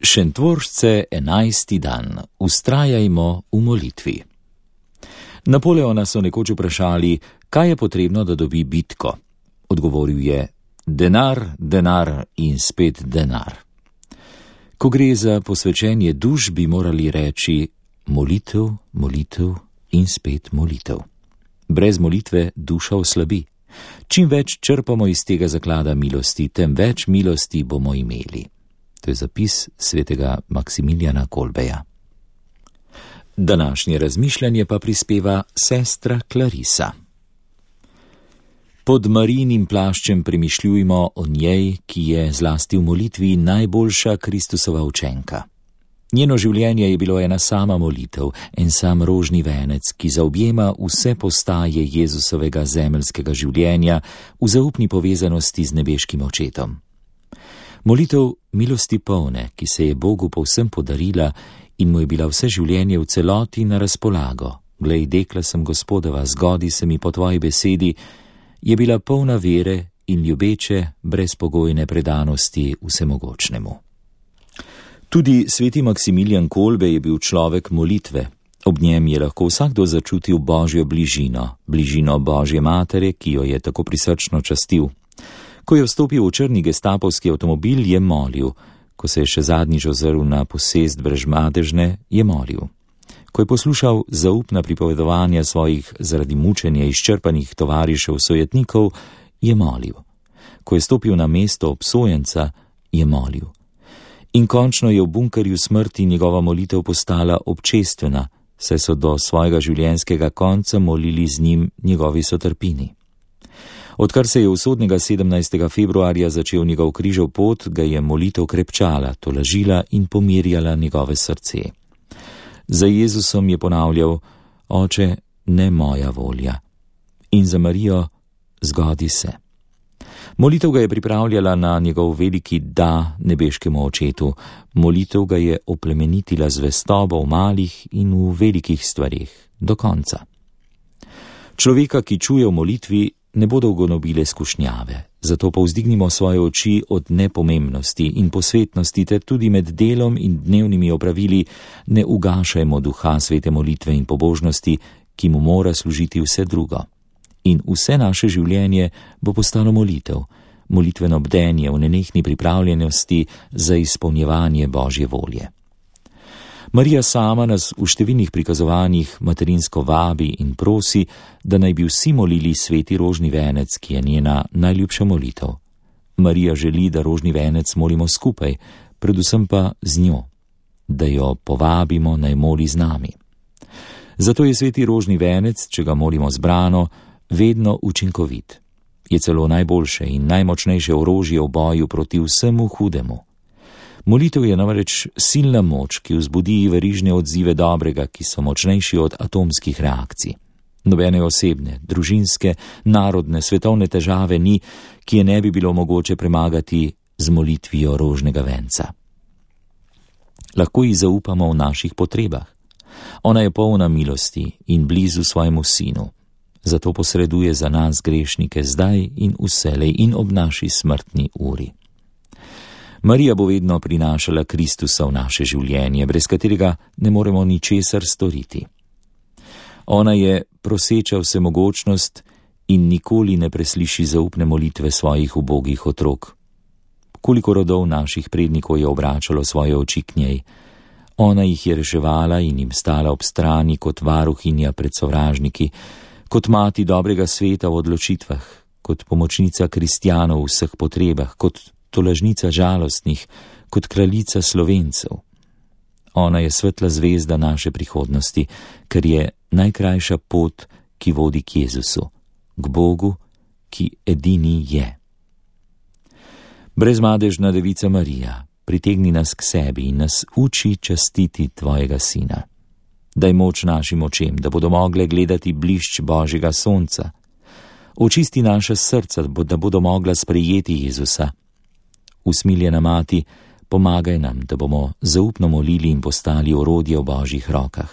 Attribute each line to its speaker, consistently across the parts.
Speaker 1: Šentvoršce 11. dan. Vztrajajmo v molitvi. Napoleona so nekoč vprašali, kaj je potrebno, da dobi bitko. Odgovoril je: denar, denar in spet denar. Ko gre za posvečenje duš, bi morali reči: molitev, molitev in spet molitev. Brez molitve duša oslabi. Čim več črpamo iz tega zaklada milosti, tem več milosti bomo imeli. To je zapis svetega Maksimilijana Kolbeja. Današnje razmišljanje pa prispeva sestra Klarisa. Pod Marijinim plaščem premišljujmo o njej, ki je zlasti v molitvi najboljša Kristusova učenka. Njeno življenje je bilo ena sama molitev, en sam rožni venec, ki zaobjema vse postaje Jezusovega zemeljskega življenja v zaupni povezanosti z nebeškim očetom. Molitev milosti polne, ki se je Bogu povsem podarila in mu je bila vse življenje v celoti na razpolago. Glej, dekla sem Gospodova, zgodi se mi po tvoji besedi, je bila polna vere in ljubeče, brezpogojne predanosti vsemogočnemu. Tudi sveti Maksimilijan Kolbe je bil človek molitve. Ob njem je lahko vsakdo začutil Božjo bližino, bližino Božje matere, ki jo je tako prisrčno častil. Ko je vstopil v črni gestapovski avtomobil, je molil. Ko se je še zadnjič ozrl na posest Brežmadežne, je molil. Ko je poslušal zaupna pripovedovanja svojih zaradi mučenja izčrpanih tovarišev sojetnikov, je molil. Ko je stopil na mesto obsojenca, je molil. In končno je v bunkerju smrti njegova molitev postala občestvena, saj so do svojega življenjskega konca molili z njim njegovi sotrpini. Odkar se je usodnega 17. februarja začel njegov križev pot, ga je molitev krepčala, tolažila in pomirjala njegove srce. Za Jezusom je ponavljal: Oče, ne moja volja. In za Marijo: zgodi se. Molitev ga je pripravljala na njegov veliki da nebeškemu očetu. Molitev ga je oplemenitila zvestobo v malih in v velikih stvareh, do konca. Človeka, ki čuje v molitvi, ne bodo ugonobile skušnjave, zato povzdignimo svoje oči od nepomembnosti in posvetnosti ter tudi med delom in dnevnimi opravili ne ugašajmo duha svete molitve in pobožnosti, ki mu mora služiti vse drugo. In vse naše življenje bo postalo molitev, molitveno bdenje v nenehni pripravljenosti za izpolnjevanje Božje volje. Marija sama nas v številnih prikazovanjih materinsko vabi in prosi, da naj bi vsi molili sveti rožni venec, ki je njena najljubša molitev. Marija želi, da rožni venec molimo skupaj, predvsem pa z njo, da jo povabimo naj moli z nami. Zato je sveti rožni venec, če ga molimo zbrano, vedno učinkovit. Je celo najboljše in najmočnejše orožje v boju proti vsemu hudemu. Molitev je namreč silna moč, ki vzbudi verižne odzive dobrega, ki so močnejši od atomskih reakcij. Nobene osebne, družinske, narodne, svetovne težave ni, ki je ne bi bilo mogoče premagati z molitvijo rožnega venca. Lahko ji zaupamo v naših potrebah. Ona je polna milosti in blizu svojemu sinu. Zato posreduje za nas grešnike zdaj in vselej in ob naši smrtni uri. Marija bo vedno prinašala Kristusa v naše življenje, brez katerega ne moremo ničesar storiti. Ona je proseča vsemogočnost in nikoli ne presliši zaupne molitve svojih ubogih otrok. Koliko rodov naših prednikov je obračalo svoje oči k njej. Ona jih je reševala in jim stala ob strani kot varuhinja pred sovražniki, kot mati dobrega sveta v odločitvah, kot pomočnica kristjanov v vseh potrebah, kot tolažnica žalostnih, kot kraljica Slovencev. Ona je svetla zvezda naše prihodnosti, ker je najkrajša pot, ki vodi k Jezusu, k Bogu, ki edini je. Brezmadežna devica Marija, pritegni nas k sebi in nas uči častiti tvojega sina. Daj moč našim očem, da bodo mogle gledati blišč Božjega sonca. Očisti naša srca, da bodo mogla sprejeti Jezusa. Usmiljena mati, pomagaj nam, da bomo zaupno molili in postali orodje v Božjih rokah.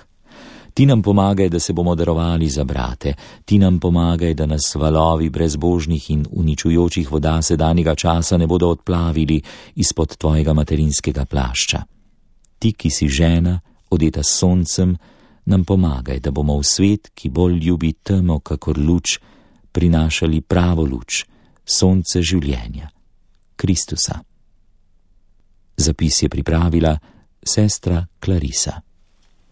Speaker 1: Ti nam pomagaj, da se bomo darovali za brate. Ti nam pomagaj, da nas valovi brezbožnih in uničujočih voda sedanjega časa ne bodo odplavili izpod tvojega materinskega plašča. ti, ki si žena, odeta s soncem, nam pomagaj, da bomo v svet, ki bolj ljubi temo kakor luč, prinašali pravo luč, sonce življenja, Kristusa. Zapis je pripravila sestra Clarisa.